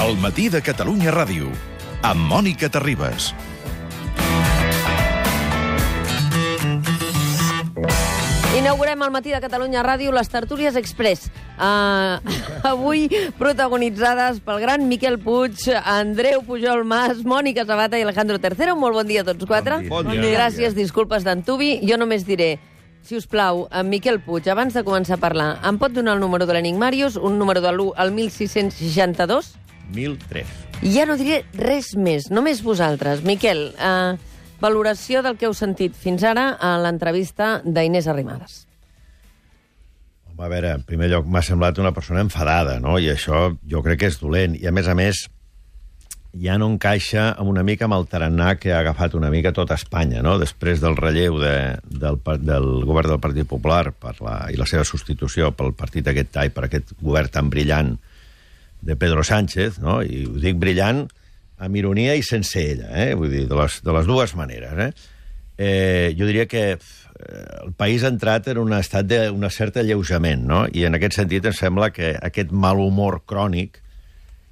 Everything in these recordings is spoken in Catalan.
El matí de Catalunya Ràdio, amb Mònica Terribas. Inaugurem al matí de Catalunya Ràdio les Tertúlies Express. Avui protagonitzades pel gran Miquel Puig, Andreu Pujol Mas, Mònica Sabata i Alejandro Tercero. Molt bon dia a tots quatre. Bon dia. Gràcies, disculpes d'antubi. Jo només diré, si us plau, en Miquel Puig, abans de començar a parlar, em pot donar el número de l'Enigmàrius, un número de l'1 al 1662? 1003. I ja no diré res més, només vosaltres. Miquel, valoració del que heu sentit fins ara a l'entrevista d'Inés Arrimadas. Home, a veure, en primer lloc m'ha semblat una persona enfadada, no? I això jo crec que és dolent. I a més, ja no encaixa una mica amb el tarannà que ha agafat una mica tota Espanya, no? Després del relleu del govern del Partit Popular i la seva substitució pel partit aquest TAI, per aquest govern tan brillant de Pedro Sánchez, no? I ho dic brillant amb ironia i sense ella, vull dir, de les dues maneres. Jo diria que el país ha entrat en un estat d'un cert alleujament, no? I en aquest sentit em sembla que aquest mal humor crònic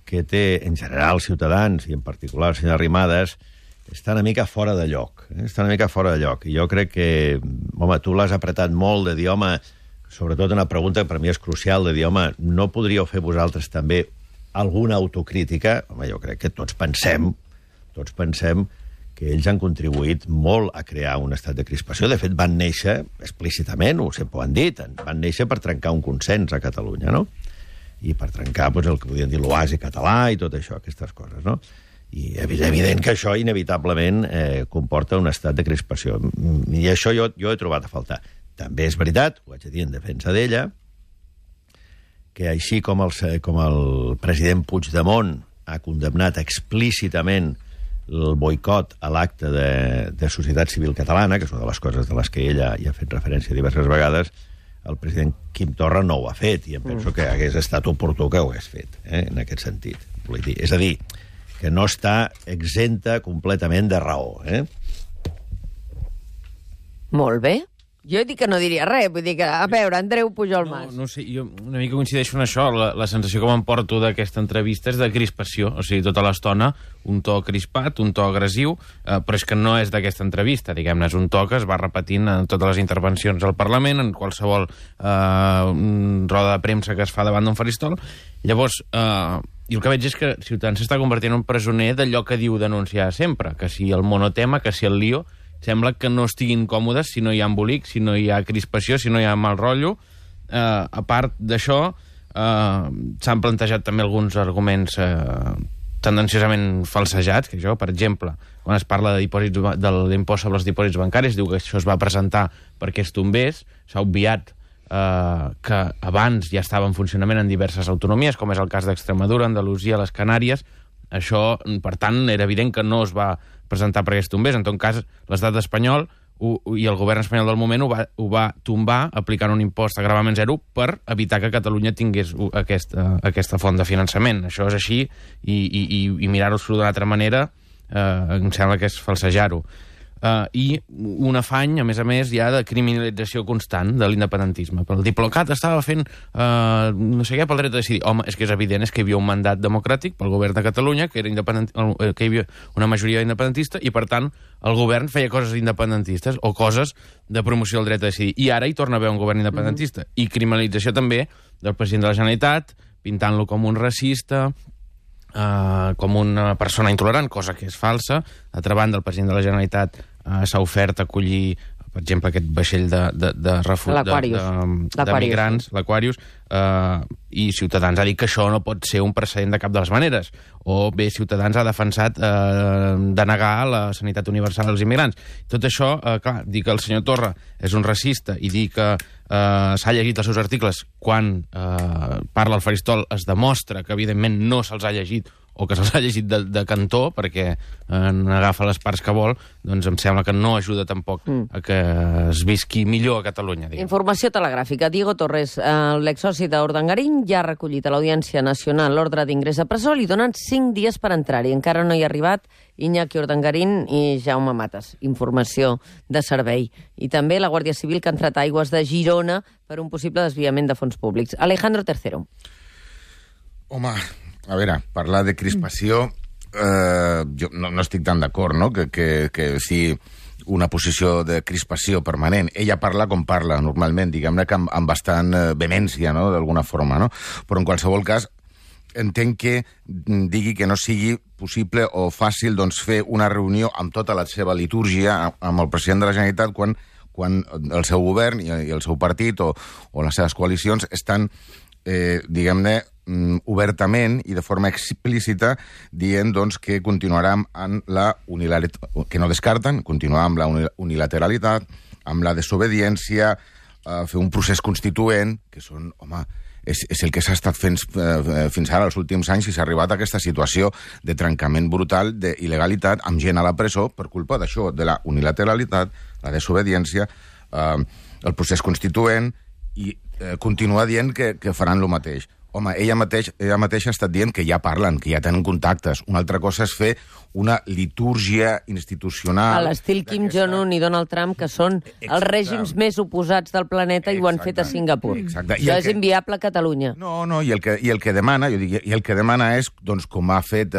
que té en general Ciutadans, i en particular el senyor Arrimadas, està una mica fora de lloc. Està una mica fora de lloc. I jo crec que, home, tu l'has apretat molt de dir, home, sobretot una pregunta que per mi és crucial, de dir, home, no podríeu fer vosaltres també alguna autocrítica? Home, jo crec que tots pensem que ells han contribuït molt a crear un estat de crispació. De fet, van néixer explícitament, sempre ho han dit, van néixer per trencar un consens a Catalunya, no? I per trencar el que podien dir l'oasi català i tot això, aquestes coses, no? I és evident que això inevitablement comporta un estat de crispació. I això jo he trobat a faltar. També és veritat, ho haig de dir en defensa d'ella, que així com el president Puigdemont ha condemnat explícitament el boicot a l'acte de Societat Civil Catalana, que és una de les coses de les que ella hi ha fet referència diverses vegades, el president Quim Torra no ho ha fet, i em penso que hagués estat oportú que ho hagués fet, en aquest sentit. És a dir, que no està exempta completament de raó. Molt bé. Jo he dit que no diria res, vull dir que, a veure, Andreu Pujol Mas. No sé, jo una mica coincideixo en això. La sensació que m'emporto d'aquesta entrevista és de crispació. O sigui, tota l'estona, un to crispat, un to agressiu, però és que no és d'aquesta entrevista, diguem-ne. És un to que es va repetint en totes les intervencions al Parlament, en qualsevol roda de premsa que es fa davant d'un faristol. Llavors, i el que veig és que Ciutadans s'està convertint en un presoner d'allò que diu denunciar sempre, que si el monotema, que si el lío. Sembla que no estiguin còmodes si no hi ha embolic, si no hi ha crispació, si no hi ha mal rotllo. A part d'això, s'han plantejat també alguns arguments tendenciosament falsejats, que això, per exemple, quan es parla de l'impost sobre els dipòsits bancaris, diu que això es va presentar perquè es tombés, s'ha obviat que abans ja estava en funcionament en diverses autonomies, com és el cas d'Extremadura, Andalusia, les Canàries. Això, per tant, era evident que no es va presentar perquè es tombés. En tot cas, l'estat espanyol i el govern espanyol del moment ho va tombar aplicant un impost a gravament zero per evitar que Catalunya tingués aquesta font de finançament. Això és així i mirar-ho d'una altra manera em sembla que és falsejar-ho. I un afany, a més, ja de criminalització constant de l'independentisme. El Diplocat estava fent no sé què pel dret a decidir. Home, és que és evident, és que hi havia un mandat democràtic pel govern de Catalunya, que hi havia una majoria independentista, i per tant el govern feia coses independentistes o coses de promoció del dret a decidir. I ara hi torna a haver un govern independentista. I criminalització també del president de la Generalitat, pintant-lo com un racista, com una persona intolerant, cosa que és falsa. D'altra banda, el president de la Generalitat s'ha ofert a acollir, per exemple, aquest vaixell de migrants, l'Aquarius, i Ciutadans ha dit que això no pot ser un precedent de cap de les maneres. O bé, Ciutadans ha defensat denegar la sanitat universal als immigrants. Tot això, clar, dir que el senyor Torra és un racista i dir que s'ha llegit els seus articles quan parla al faristol es demostra que, evidentment, no se'ls ha llegit o que se'ls ha llegit de cantó perquè n'agafa les parts que vol, doncs em sembla que no ajuda tampoc a que es visqui millor a Catalunya. Diguem. Informació telegràfica. Diego Torres, l'exsoci d'Urdangarín, ja ha recollit a l'Audiència Nacional l'ordre d'ingrés a presó, li donen 5 dies per entrar-hi. Encara no hi ha arribat Iñaki Urdangarín i Jaume Matas. Informació de servei. I també la Guàrdia Civil que ha entrat a aigües de Girona per un possible desviament de fons públics. Alejandro Tercero. Home, a veure, parlar de crispació, jo no estic tan d'acord, no?, que si una posició de crispació permanent. Ella parla com parla, normalment, diguem-ne que amb bastant vehemència, no?, d'alguna forma, no? Però en qualsevol cas, entenc que digui que no sigui possible o fàcil doncs, fer una reunió amb tota la seva litúrgia amb el president de la Generalitat quan el seu govern i el seu partit o les seves coalicions estan, diguem-ne, obertament i de forma explícita dient doncs, que continuaran amb la unilateralitat, que no descarten, continuar amb la unilateralitat, amb la desobediència, fer un procés constituent, que són, home, és el que s'ha estat fent fins ara, els últims anys, i s'ha arribat a aquesta situació de trencament brutal, d'il·legalitat, amb gent a la presó per culpa d'això, de la unilateralitat, la desobediència, el procés constituent, i continua dient que faran el mateix. Home, ella mateixa ha estat dient que ja parlen, que ja tenen contactes. Una altra cosa és fer una litúrgia institucional... A l'estil Kim Jong-un i Donald Trump, que són els règims més oposats del planeta i ho han fet a Singapur. Exacte. Això és inviable a Catalunya. No, i el que demana, jo dic, i el que demana és, doncs, com ha fet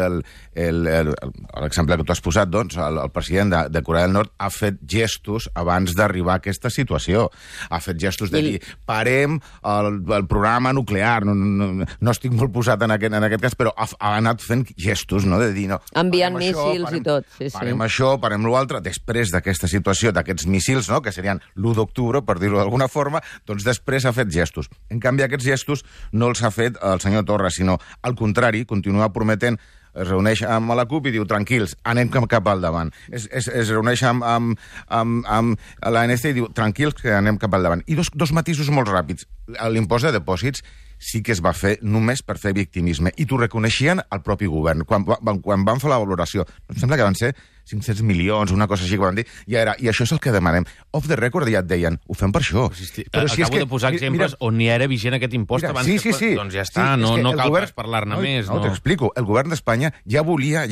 l'exemple que tu has posat, doncs, el president de Corea del Nord ha fet gestos abans d'arribar a aquesta situació. Ha fet gestos de dir, parem el programa nuclear, no estic molt posat en aquest cas, però ha anat fent gestos, no?, de dir, no, enviant míssils i tot. Sí, parem això, parem l'altre. Després d'aquesta situació, d'aquests míssils, no?, que serien l'1 d'octubre, per dir-ho d'alguna forma, doncs després ha fet gestos. En canvi, aquests gestos no els ha fet el senyor Torra, sinó, al contrari, continua prometent, es reuneix amb la CUP i diu, tranquils, anem cap al davant. Es reuneix amb l'ANC i diu, tranquils, que anem cap al davant. I dos matisos molt ràpids. L'impost de dipòsits sí que es va fer només per fer victimisme, i t'ho reconeixien al propi govern. Quan van fer la valoració, em sembla que van ser 500 milions, una cosa així que van dir, i això és el que demanem. Off the record ja et deien, ho fem per això. Acabo de posar exemples on ni era vigent aquest impost abans. Sí. Doncs ja està, no cal pas parlar-ne més. No, t'explico. El govern d'Espanya ja volia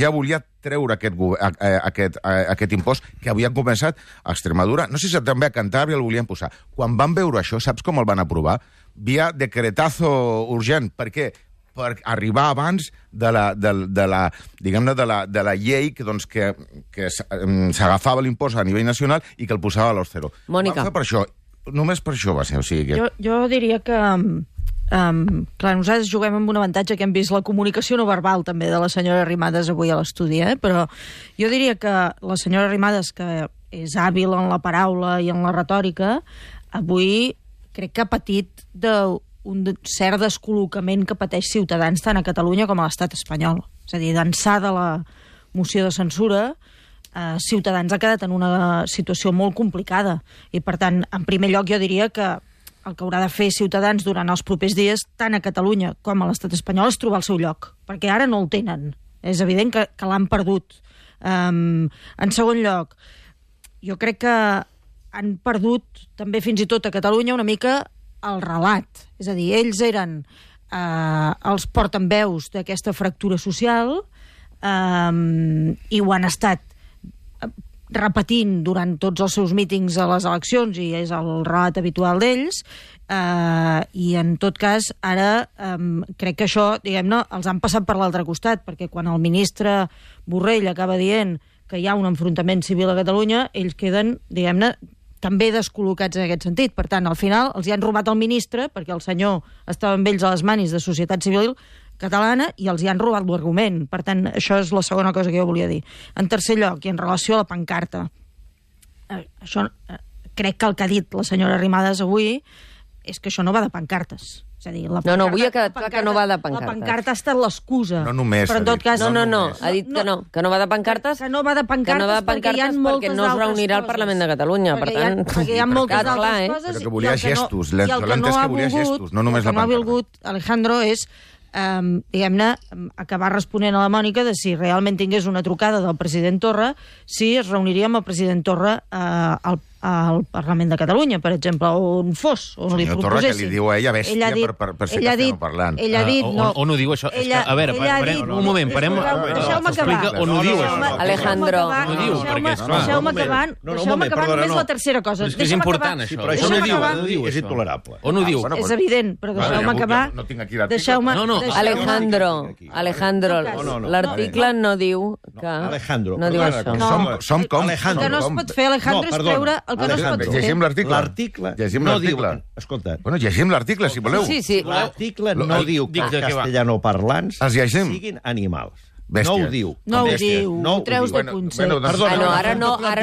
treure aquest impost que havien començat a Extremadura. No sé si també a Cantàbria el volien posar. Quan van veure això, saps com el van aprovar? Via decretazo urgent. Per què? Per arribar abans de la llei que s'agafava l'impost a nivell nacional i que el posava a l'Orcero. Mònica. Per això, només per això va ser. O sigui que... Jo diria que... clar, nosaltres juguem amb un avantatge que hem vist la comunicació no verbal també de la senyora Arrimadas avui a l'estudi, però jo diria que la senyora Arrimadas, que és hàbil en la paraula i en la retòrica, avui crec que ha patit un cert descol·locament que pateix Ciutadans tant a Catalunya com a l'estat espanyol. És a dir, d'ençà de la moció de censura, Ciutadans ha quedat en una situació molt complicada. I, per tant, en primer lloc, jo diria que el que haurà de fer Ciutadans durant els propers dies, tant a Catalunya com a l'estat espanyol, és trobar el seu lloc, perquè ara no el tenen. És evident que l'han perdut. En segon lloc, jo crec que han perdut també fins i tot a Catalunya una mica el relat. És a dir, ells eren els portaveus d'aquesta fractura social i ho han estat repetint durant tots els seus mítings a les eleccions, i és el relat habitual d'ells, i en tot cas ara crec que això, diguem-ne, els han passat per l'altre costat, perquè quan el ministre Borrell acaba dient que hi ha un enfrontament civil a Catalunya, ells queden, diguem-ne, també descol·locats en aquest sentit. Per tant, al final els hi han robat el ministre, perquè el senyor estava amb ells a les manis de Societat Civil Catalana, i els hi han robat l'argument. Per tant, això és la segona cosa que jo volia dir. En tercer lloc, i en relació a la pancarta, això crec que el que ha dit la senyora Arrimadas avui és que això no va de pancartes. És a dir, no, avui ha quedat clar que no va de pancartes. La pancarta ha estat l'excusa. No només. Però en tot cas... No, ha dit que no va de pancartes. Que no va de pancartes perquè hi ha moltes perquè no es reunirà al Parlament de Catalunya. Per tant, perquè hi ha moltes altres coses. Però que volia gestos. L'entès que volia gestos, no només la pancarta. El que no ha volgut Alejandro és diguem-ne, acabar responent a la Mònica de si realment tingués una trucada del president Torra, si es reuniria amb el president Torra al al Parlament de Catalunya, per exemple, on fos, on li Senyor Torra, que proposessin. li diu a ella bèstia per ser castellanoparlant. Ell ha dit... On ho diu, això? A veure, un moment, parem... Deixeu-me acabar. On ho diu, això? Alejandro. On ho diu, perquè, esclar... Deixeu-me acabar, només la tercera cosa. És que és important, això. Però això no diu, és intolerable. On ho diu? És evident, però deixeu-me acabar. No tinc aquí l'article. Alejandro, l'article no diu que... Alejandro. No diu això. Som com... El que no es pot fer, Alejandro, és treure el que no es pot fer. Llegim l'article. L'article no diu... Escolta... Bueno, llegim l'article, si voleu. Sí. L'article no diu que els castellanoparlants siguin animals. Bèsties. No ho diu. No ho diu, ho treus de concepte. Perdona, Ara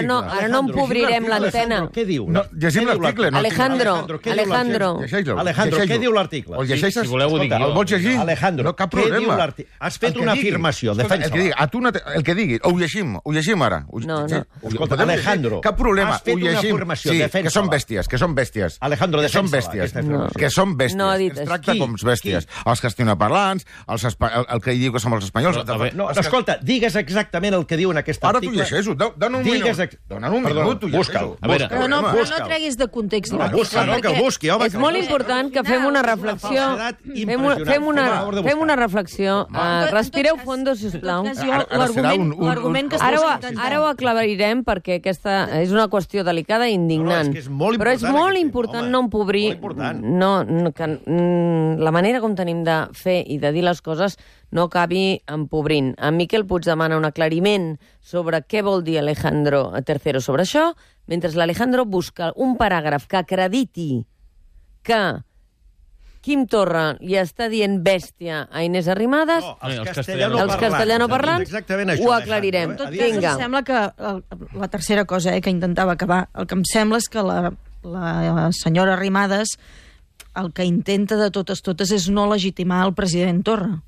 no empobrirem l'antena. Què diu? Llegim l'article. Alejandro. Alejandro, què diu l'article? El llegeixes? Si voleu ho dic jo. El vols llegir? Alejandro, no, cap problema. Has fet una afirmació, defensa-la. El que digui, ho llegim ara. No. Escolta, Alejandro, cap problema, has fet ho llegim. una afirmació, Sí, defensa-la. que són bèsties. Alejandro, defensa-la. Que són bèsties. No ha dit Es tracta com bèsties. Els castellanoparlants, el que diu que som els espanyols... No, escolta, digues exactament el que diu en aquest ara article. Ara t'ho llegeixo, dona un minut. Dona un minut, t'ho llegeixo. Però no treguis de context. Que el busqui, home. És molt important que fem una reflexió. Fem una reflexió. Respireu fondo, sisplau. L'argument que Ara ho aclarirem perquè aquesta és una qüestió delicada i indignant. Però és molt important no empobrir la manera com tenim de fer i de dir les coses no acabi empobrint. En Miquel Puig demana un aclariment sobre què vol dir Alejandro III sobre això, mentre l'Alejandro busca un paràgraf que acrediti que Quim Torra li està dient bèstia a Inés Arrimadas, els castellanoparlants, ho aclarirem. Vinga. Em sembla que la tercera cosa que intentava acabar, el que em sembla és que la senyora Arrimadas el que intenta de totes és no legitimar el president Torra.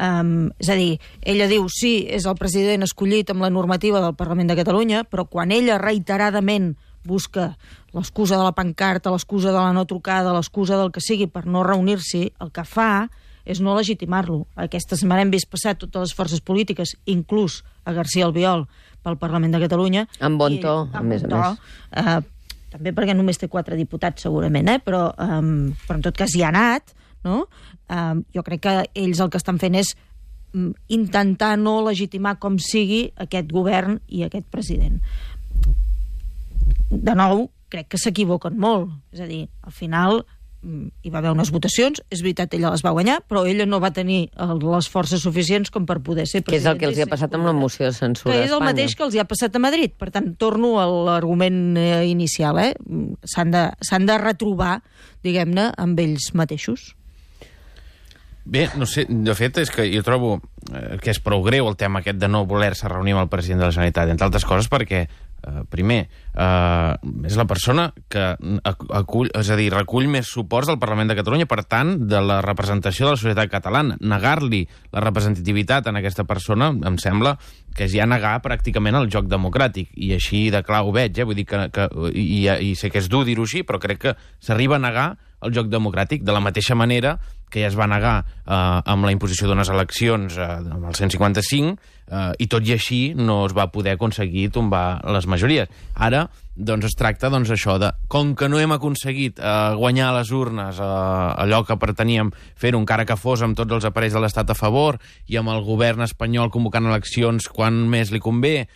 És a dir, ella diu sí, és el president escollit amb la normativa del Parlament de Catalunya, però quan ella reiteradament busca l'excusa de la pancarta, l'excusa de la no trucada, l'excusa del que sigui per no reunir-s'hi, el que fa és no legitimar-lo. Aquesta setmana hem vist passar totes les forces polítiques, inclús a García Albiol, pel Parlament de Catalunya. Amb bon to, a més a més. També perquè només té 4 diputats, segurament, però en tot cas hi ha anat, no? Jo crec que ells el que estan fent és intentar no legitimar com sigui aquest govern i aquest president. De nou, crec que s'equivoquen molt. És a dir, al final hi va haver unes votacions, és veritat, ella les va guanyar, però ella no va tenir les forces suficients com per poder ser president. Que és el que els hi ha passat amb la moció de censura a Espanya. Que és el mateix que els hi ha passat a Madrid. Per tant, torno a l'argument inicial. S'han de retrobar, diguem-ne, amb ells mateixos. Bé, no sé, de fet, és que jo trobo que és prou greu el tema aquest de no voler-se reunir amb el president de la Generalitat, entre altres coses perquè, primer, és la persona que acull, és a dir, recull més suports del Parlament de Catalunya, per tant, de la representació de la societat catalana. Negar-li la representativitat en aquesta persona em sembla que és ja negar pràcticament el joc democràtic, i així de clar ho veig, vull dir i sé que és dur dir-ho així, però crec que s'arriba a negar el joc democràtic, de la mateixa manera que ja es va negar amb la imposició d'unes eleccions amb el 155, i tot i així no es va poder aconseguir tombar les majories. Ara, doncs, es tracta això de, com que no hem aconseguit guanyar a les urnes allò que preteníem fer-ho, encara que fos amb tots els aparells de l'Estat a favor i amb el govern espanyol convocant eleccions quan més li convé,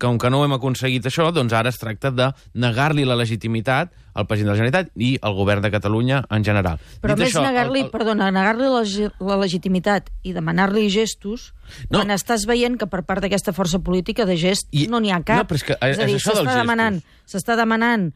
com que no hem aconseguit això, doncs ara es tracta de negar-li la legitimitat al president de la Generalitat i al govern de Catalunya en general. Però més negar-li la legitimitat i demanar-li gestos, quan estàs veient que per part d'aquesta força política de gest no n'hi ha cap. És a dir, s'està demanant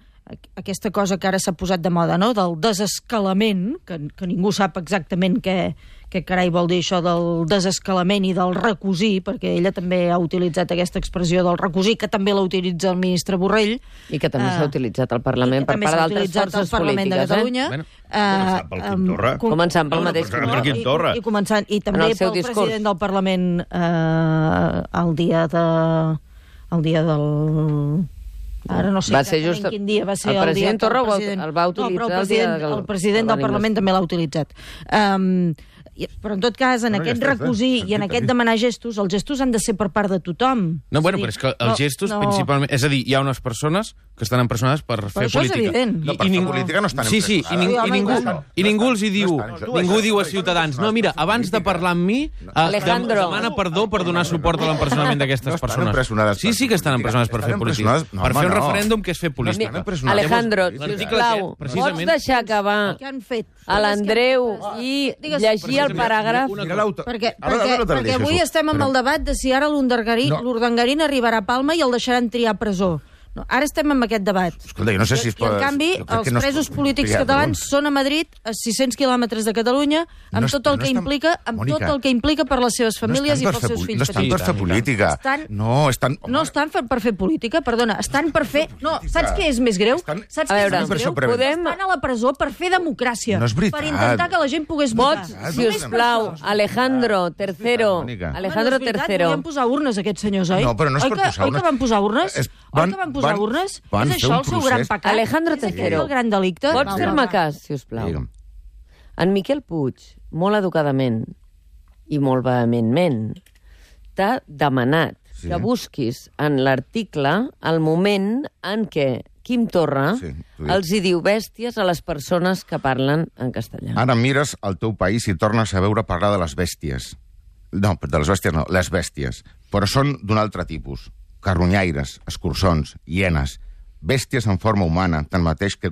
aquesta cosa que ara s'ha posat de moda, no? Del desescalament, que ningú sap exactament què carai vol dir això del desescalament i del recosir, perquè ella també ha utilitzat aquesta expressió del recosir, que també la utilitza el ministre Borrell. I que també s'ha utilitzat al Parlament per part d'altres forces polítiques. Començant pel mateix Quim Torra. I també pel president del Parlament el dia del... Ara no sé exactament quin dia va ser el president Torra el va utilitzar el president del Parlament també l'ha utilitzat. Però en tot cas, en aquest recosir i en aquest demanar gestos, els gestos han de ser per part de tothom. No, bueno, però és que els gestos principalment... És a dir, hi ha unes persones que estan empresonades per fer això és política. evident. No, per fer política no estan Sí, empresonades. i ningú els hi diu... Ningú diu a Ciutadans, no, mira, abans de parlar amb mi, Alejandro. demana perdó per donar suport a l'empresonament d'aquestes persones. Sí que estan empresonades per fer política. Per fer un referèndum, que és fer política. Alejandro, L'article sisplau, aquest, precisament- pots deixar acabar Què han fet? a l'Andreu i llegir el paràgraf? Perquè avui estem amb el debat de si ara l'Urdangarín arribarà a Palma i el deixaran triar a presó. No, ara estem amb aquest debat. Escolta, jo no sé si es I en canvi, els presos polítics catalans són a Madrid, a 600 quilòmetres de Catalunya, amb tot el que implica per les seves famílies i pels seus fills petits. No estan per fer política. No estan per fer política, perdona. Estan per fer... No, saps què és més greu? Saps què és més greu? Estan a la presó per fer democràcia. No és veritat. Per intentar que la gent pogués votar. Vots, si us plau, Alejandro III. Alejandro III. Volien posar urnes, aquests senyors, oi? No, però no és per posar urnes. Oi que van posar urnes? Oi que van posar urnes? És això el seu gran pecat? Alejandro És aquest III. el gran delicte? Pots fer-me cas, si us plau? Digue'm. En Miquel Puig, molt educadament i molt vehementment, t'ha demanat que busquis en l'article el moment en què Quim Torra els hi diu bèsties a les persones que parlen en castellà. Ara mires al teu país i tornes a veure parlar de les bèsties. No, de les bèsties no, les bèsties. Però són d'un altre tipus. Carronyaires, escurçons, hienes, bèsties en forma humana, tanmateix que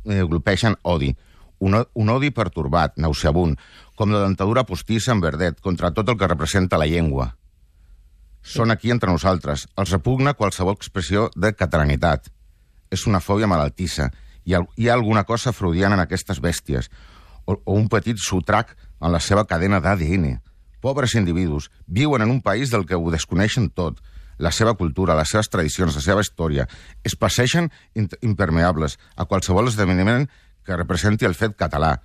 glopeixen odi. Un odi pertorbat, nauseabund, com la dentadura postissa en verdet, contra tot el que representa la llengua. Són aquí entre nosaltres. Els repugna qualsevol expressió de catalanitat. És una fòbia malaltissa. Hi ha alguna cosa freudiana en aquestes bèsties, o un petit sotrac en la seva cadena d'ADN. Pobres individus, viuen en un país del que ho desconeixen tot, la seva cultura, les seves tradicions, la seva història. Es passegen impermeables a qualsevol esdeveniment que representi el fet català.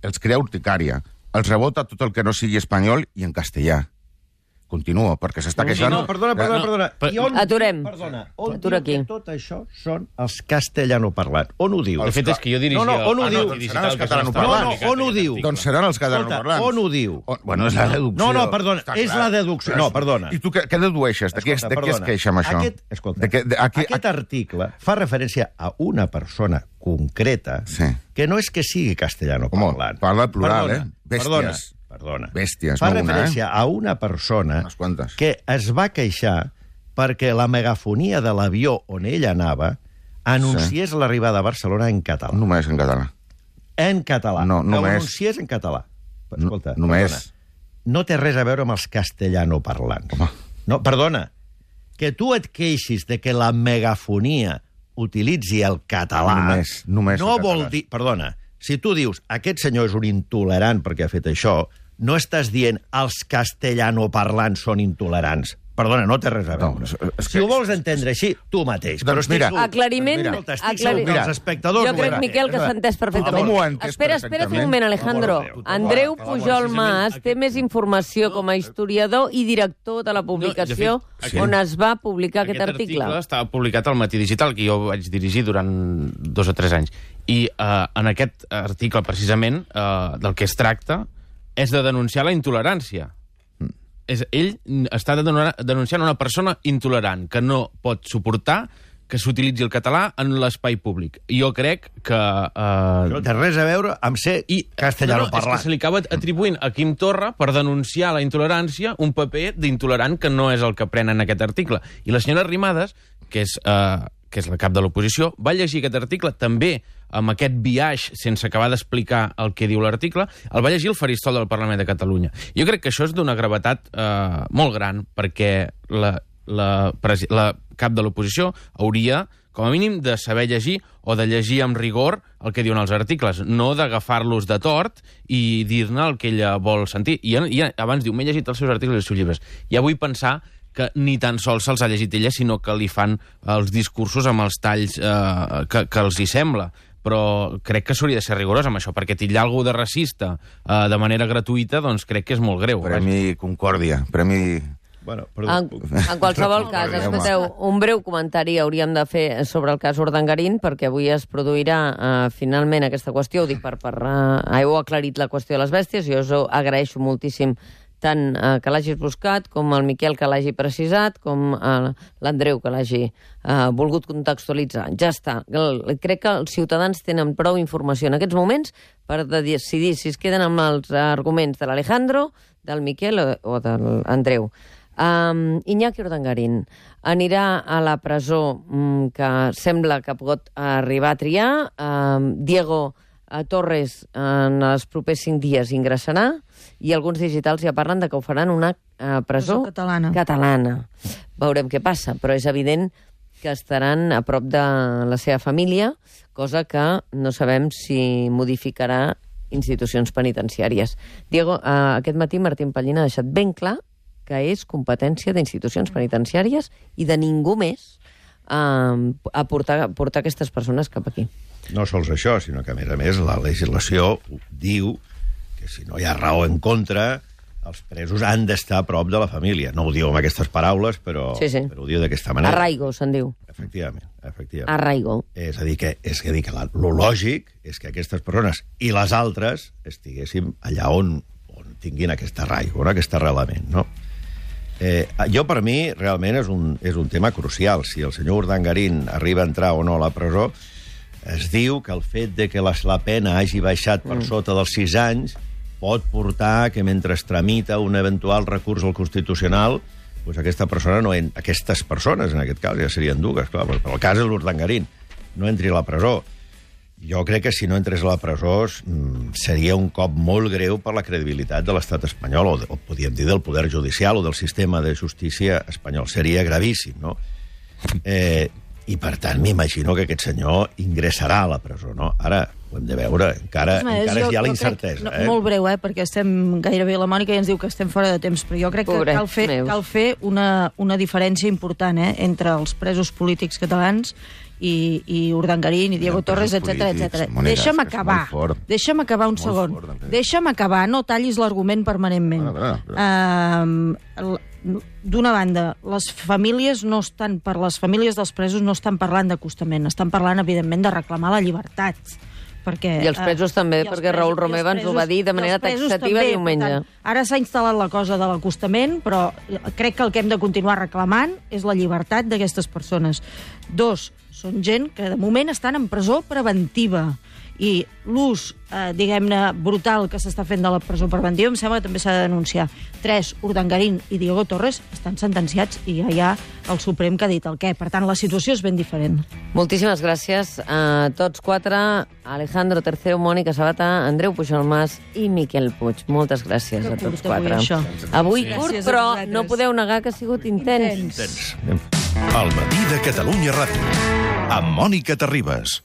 Els crea urticària. Els rebota tot el que no sigui espanyol i en castellà. Continuo, perquè s'està queixant... No, perdona. Aturem. On Atura diu aquí. que tot això són els castellanoparlants? On ho diu? De fet, és que jo dirigia... on ho diu? Seran els catalanoparlants. On ho diu? Doncs seran els catalanoparlants. On ho diu? Bueno, és la deducció. No, perdona, és la deducció. No, perdona. I tu què dedueixes? De què es queixa amb això? Aquest article fa referència a una persona concreta que no és que sigui castellanoparlant. Parla plural, Bèsties. Perdona. Bèsties, fa no una, referència a una persona que es va queixar perquè la megafonia de l'avió on ell anava anunciés l'arribada a Barcelona en català. Només en català. En català. No, només. Que anunciés en català. Escolta, només. Perdona, no té res a veure amb els castellanoparlants. No, perdona. Que tu et queixis de que la megafonia utilitzi el català... Només no vol dir... Perdona, si tu dius aquest senyor és un intolerant perquè ha fet això, no estàs dient els castellanoparlants són intolerants. Perdona, no té res a veure. Si ho vols entendre així, tu mateix. Doncs mira... Aclariment... Els espectadors... Jo crec, Miquel, que s'ha entès perfectament. Espera un moment, Alejandro. Andreu Pujol Mas té més informació com a historiador i director de la publicació on es va publicar aquest article. Aquest article estava publicat al Matí Digital, que jo vaig dirigir durant 2 o 3 anys. I en aquest article, precisament, del que es tracta és de denunciar la intolerància. Ell està denunciant una persona intolerant que no pot suportar que s'utilitzi el català en l'espai públic. I jo crec que... No té res a veure amb ser castellanoparlant. És que se li acaba atribuint a Quim Torra per denunciar la intolerància un paper d'intolerant que no és el que pren en aquest article. I la senyora Arrimadas, que és la cap de l'oposició, va llegir aquest article també amb aquest biaix sense acabar d'explicar el que diu l'article, el va llegir el faristol del Parlament de Catalunya. Jo crec que això és d'una gravetat molt gran, perquè la cap de l'oposició hauria, com a mínim, de saber llegir o de llegir amb rigor el que diuen els articles, no d'agafar-los de tort i dir-ne el que ella vol sentir. I abans diu, m'he llegit els seus articles i els seus llibres. Ja vull pensar que ni tan sols se'ls ha llegit ella, sinó que li fan els discursos amb els talls que els hi sembla. Però crec que s'hauria de ser rigorós amb això, perquè titllar algú de racista de manera gratuïta, doncs crec que és molt greu. Premi Concòrdia, premi... Bueno, en qualsevol cas, escolteu, un breu comentari hauríem de fer sobre el cas Urdangarín, perquè avui es produirà finalment aquesta qüestió, ho dic heu aclarit la qüestió de les bèsties, jo us ho agraeixo moltíssim tant que l'hagis buscat, com el Miquel que l'hagi precisat, com l'Andreu que l'hagi volgut contextualitzar. Ja està. Crec que els ciutadans tenen prou informació en aquests moments per decidir si es queden amb els arguments de l'Alejandro, del Miquel o de l'Andreu. Iñaki Urdangarín anirà a la presó que sembla que pot arribar a triar. Diego Torres en els propers 5 dies ingressarà i alguns digitals ja parlen de que ho faran una presó catalana. Veurem què passa, però és evident que estaran a prop de la seva família, cosa que no sabem si modificarà institucions penitenciàries. Diego, aquest matí Martín Pallín ha deixat ben clar que és competència d'institucions penitenciàries i de ningú més a portar aquestes persones cap aquí. No sols això, sinó que, a més, la legislació diu que si no hi ha raó en contra, els presos han d'estar a prop de la família. No ho diu amb aquestes paraules, però ho diu d'aquesta manera. Arraigo, se'n diu. Efectivament. Arraigo. És a dir, que lo lògic és que aquestes persones i les altres estiguéssim allà on tinguin aquest arraigo, aquest arrelament, no? Jo, per mi, realment és un tema crucial. Si el senyor Urdangarín arriba a entrar o no a la presó, es diu que el fet de que la pena hagi baixat per sota dels 6 anys pot portar que mentre es tramita un eventual recurs al Constitucional, doncs aquestes persones, en aquest cas, ja serien dues, clar, però el cas és l'Urdangarín, no entri a la presó. Jo crec que si no entrés a la presó seria un cop molt greu per la credibilitat de l'estat espanyol, o podríem dir del poder judicial o del sistema de justícia espanyol. Seria gravíssim, no? I, per tant, m'imagino que aquest senyor ingressarà a la presó, no? Ara ho hem de veure, encara hi ha la incertesa. Molt breu, perquè estem gairebé la Mònica i ens diu que estem fora de temps, però jo crec que cal fer una diferència important entre els presos polítics catalans i Urdangarín i Diego Torres, etc. Deixa'm acabar un segon. Deixa'm acabar, no tallis l'argument permanentment. D'una banda, les famílies dels presos no estan parlant d'acostament, estan parlant, evidentment, de reclamar la llibertat. I els presos també, perquè Raül Romeva ens ho va dir de manera taxativa diumenge. Ara s'ha instal·lat la cosa de l'acostament, però crec que el que hem de continuar reclamant és la llibertat d'aquestes persones. 2, són gent que de moment estan en presó preventiva i l'ús, diguem-ne, brutal que s'està fent de la presó preventiva em sembla que també s'ha de denunciar. 3, Urdangarín i Diego Torres estan sentenciats i ja hi ha el Suprem que ha dit el què. Per tant, la situació és ben diferent. Moltíssimes gràcies a tots 4, Alejandro Tercero, Mònica Sabata, Andreu Pujol-Mas i Miquel Puig. Moltes gràcies a tots 4. Avui curt, però no podeu negar que ha sigut intens. El matí de Catalunya Ràdio, amb Mònica Terribas.